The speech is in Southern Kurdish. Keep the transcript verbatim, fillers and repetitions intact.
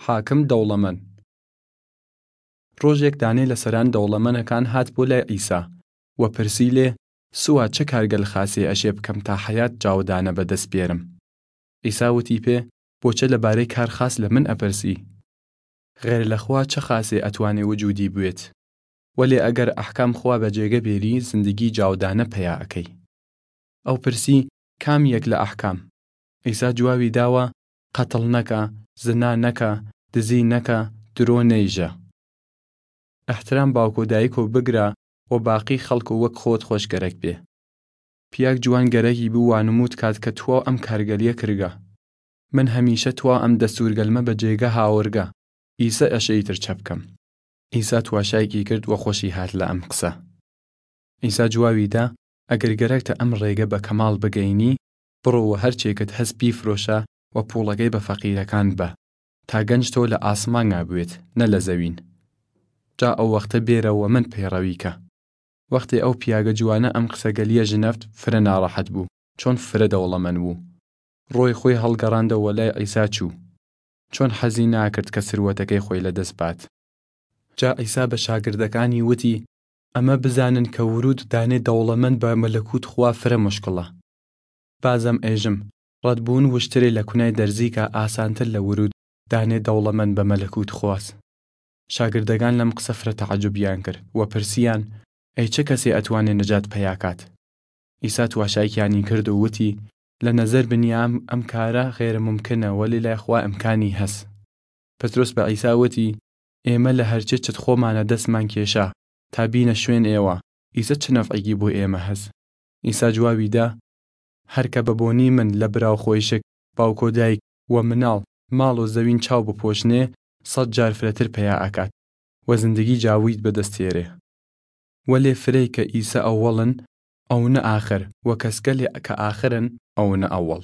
حاکم دەوڵەمەن. ڕۆژێک دانێ لە سەران دەوڵەمەنەکان هات بۆ لای عیسا، و پرسی لێ، سووا چە کارگەل خاسێ ئەشێ بکەم تا حەیات جاودانە بە دەس بێرم؟ عیسا وتی پێ، بۆچە لە بارەی کار خاس لە من ئەپرسی؟ غێر لە خوا چە خاسێ ئەتوانێ وجودی بوێت؟ وەلێ ئەگەر ئەحکام خوا بە جێگە بێری، زندگی جاودانە پەیا ئەکەی. ئەو پرسی، کام یەک لە ئەحکام؟ عیسا جواوی داوە، قەتڵ نەکە، زنا نەکە، دزی نەکە، درۆ نەیژە. ئەحترام باوک و دایک و بگرە، و باقی خەڵک و وەک خۆت خۆش گەرەک بێ. پیاگ جوان گەرەکی بوو وانموود کات کە تواو ئەم کارگەلیە کرگە. من هەمیشە تواو ئەم دەستوورگەلمە بە جێگە هاورگە، ئیسە ئەشێیتر چە بکەم؟ ئیسا تواشایکی کرد و خوەشی هات لە ئەم قسە. ئیسا جواوی دا، ئەگر گەرەکتە ئەم ڕێگە بە کەماڵ بگەینی، بڕۆ و هەرچێکت هەس بیفرۆشە و پووڵەگەی بە فەقیرەکان بە، تا گەنج تۆ لە ئاسمانگا بوێت، نە لە زەوین. جا ئەو وەختە بێرە و من پەیڕەوی کە. وەختێ ئەو پیاگە جوانە ئەم قسەگەلیە ژنەفت، فرە ناڕەحەت بوو، چۆن فرە دەوڵەمەن بوو. ڕۆی خوی هەڵگەڕاندەو وە لای عیسا چوو، چۆن حەزی ناکرد کە سروەتەکەی خوی لە دەس بات. جا عیسا بە شاگردەکانی وتی، ئەمە بزانن کە ورود دانێ دەوڵەمەن بە مەلەکوت خوا فرە مشکڵە. بازەم ئێژم، ڕەدبوون وشترێ لە کونای دەرزیکە ئاسانتر لە ورود دانێ دەوڵەمەن بە مەلەکوت خواس. شاگردەگان لەم قسە فرە تەعەجوبیان کرد و پرسیان، ئەی چە کەسێ ئەتوانێ نەجات پەیا کات؟ ئیسا تواشایکیانی کرد و وتی، لە نەزەر بنیام ئەم کارە غێرە مومکنە، وەلی لای خوا ئمکانی هەس. پتروس بە عیسا وتی، ئێمە لە هەرچێ چت خوەمانە دەسمان کێشا تا بینە شوێن ئێوە، ئیسە چ نەفعیگی بۆ ئێمە هەس؟ ئیسا جواوی دا، هەر کە بە بۆنی من لە برا و خوەیشک، باوک و دایک، و مناڵ، ماڵ و زەوین چاو بپۆشنێ، سەد جار فرەتر پەیا ئەکات و زندگی جاوید بە دەس تێرێ. وەلێ فرەی کە ئیسە ئەوەڵن، ئەونە ئاخر، و کەسگەلێ کە ئاخرن، ئەونە ئەوەڵ.